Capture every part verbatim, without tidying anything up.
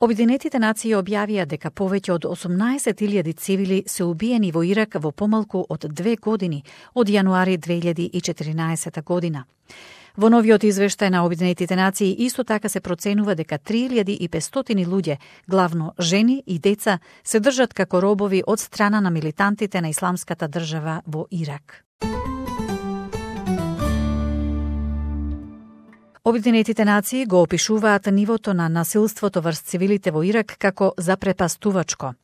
Обединетите нации објавија дека повеќе од осумнаесет илјади цивили се убиени во Ирак во помалку од две години, од јануари две илјади и четиринаесета година. Во новиот извештај на Обединетите нации исто така се проценува дека три илјади и петстотини луѓе, главно жени и деца, се држат како робови од страна на милитантите на Исламската држава во Ирак. Обединетите нации го опишуваат нивото на насилството врз цивилите во Ирак како запрепастувачко.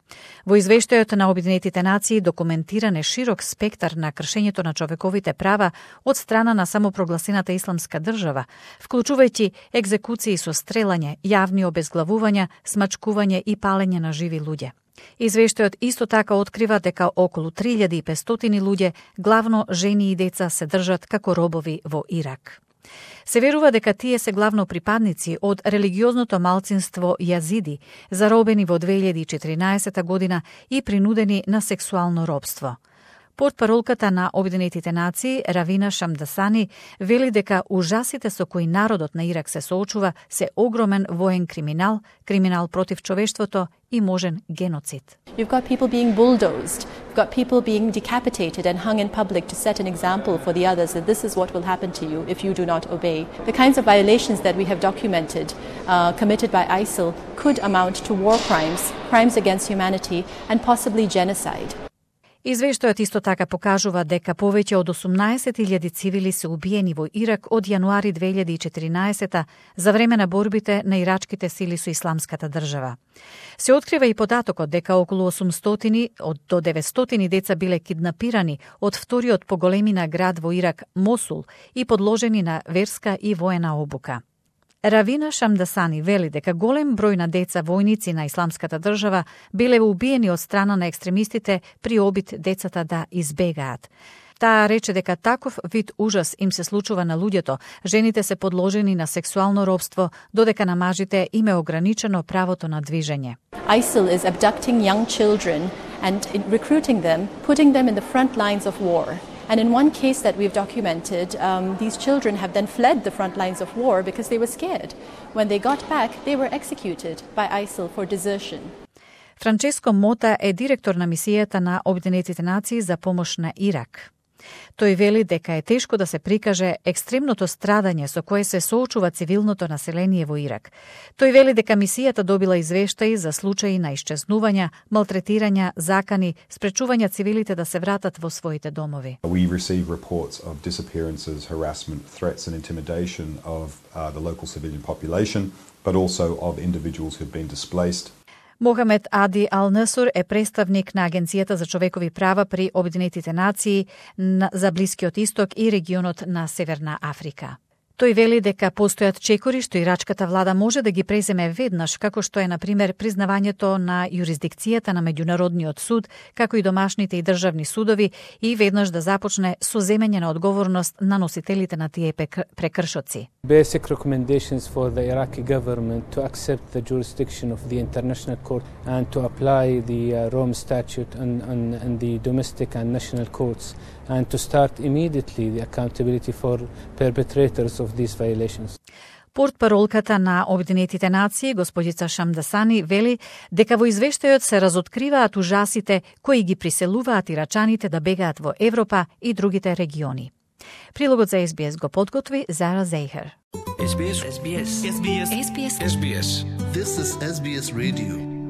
Во извештајот на Обединетите нации документиран е широк спектар на кршењето на човековите права од страна на самопрогласената Исламска држава, вклучувајќи екзекуции со стрелање, јавни обезглавувања, смачкување и палење на живи луѓе. Извештајот исто така открива дека околу три илјади и петстотини луѓе, главно жени и деца, се држат како робови во Ирак. Се верува дека тие се главно припадници од религиозното малцинство јазиди, заробени во две илјади и четиринаесета година и принудени на сексуално робство. Портпаролката на Обединетите нации, Равина Шамдасани, вели дека ужасите со кои народот на Ирак се соочува се огромен воен криминал, криминал против човештвото и можен геноцид. You've got people being bulldozed. You've got people being decapitated and hung in public to set an example for the others that this is what will happen to you if you do not obey. The kinds of violations that we have documented uh, committed by I S I L could amount to war crimes, crimes against humanity and possibly genocide. Извештајот исто така покажува дека повеќе од осумнаесет илјади цивили се убиени во Ирак од јануари две илјади и четиринаесета за време на борбите на ирачките сили со Исламската држава. Се открива и податокот дека околу осумстотини од до деветстотини деца биле киднапирани од вториот по големина град во Ирак, Мосул, и подложени на верска и воена обука. Равина Шамдасани вели дека голем број на деца војници на Исламската држава биле убиени од страна на екстремистите при обид децата да избегаат. Таа рече дека таков вид ужас им се случува на луѓето, жените се подложени на сексуално робство, додека на мажите им е ограничено правото на движење. I S I L is abducting young children and recruiting them, putting them in the front lines of war. And in one case that we've documented, um, these children have then fled the front lines of war because they were scared. When they got back, they were executed by I S I L for desertion. Франческо Мота е директор на мисијата на Обединетите нации за помош на Ирак. Тој вели дека е тешко да се прикаже екстремното страдање со кое се соочува цивилното население во Ирак. Тој вели дека мисијата добила извештаи за случаи на исчезнувања, малтретирања, закани, спречување цивилите да се вратат во своите домови. We receive reports of disappearances, harassment, threats and intimidation of uh, the local civilian population, but also of individuals who've been displaced. Мохамед Ади Ал-Насур е представник на Агенцијата за човекови права при Обединетите нации за Блискиот исток и регионот на Северна Африка. Тој вели дека постојат чекори што ирачката влада може да ги преземе веднаш, како што е, на пример, признавањето на јурисдикцијата на Меѓународниот суд, како и домашните и државни судови, и веднаш да започне со земење на одговорност на носителите на тие прекршоци. Basic recommendations for the Iraqi government to accept the jurisdiction of the International Court and to apply the uh, Rome Statute and, and, and the domestic and national courts and to start immediately the accountability for perpetrators of these violations. Портпаролката на Обединетите нации, господица Шамдасани, вели дека во извештајот се разоткриваат ужасите кои ги приселуваат ирачаните да бегаат во Европа и другите региони. Прилогот за Ес Би Ес го подготви Зара Зейхер. Ес Би Ес. Ес Би Ес. Ес Би Ес. Ес Би Ес. This is Ес Би Ес Radio.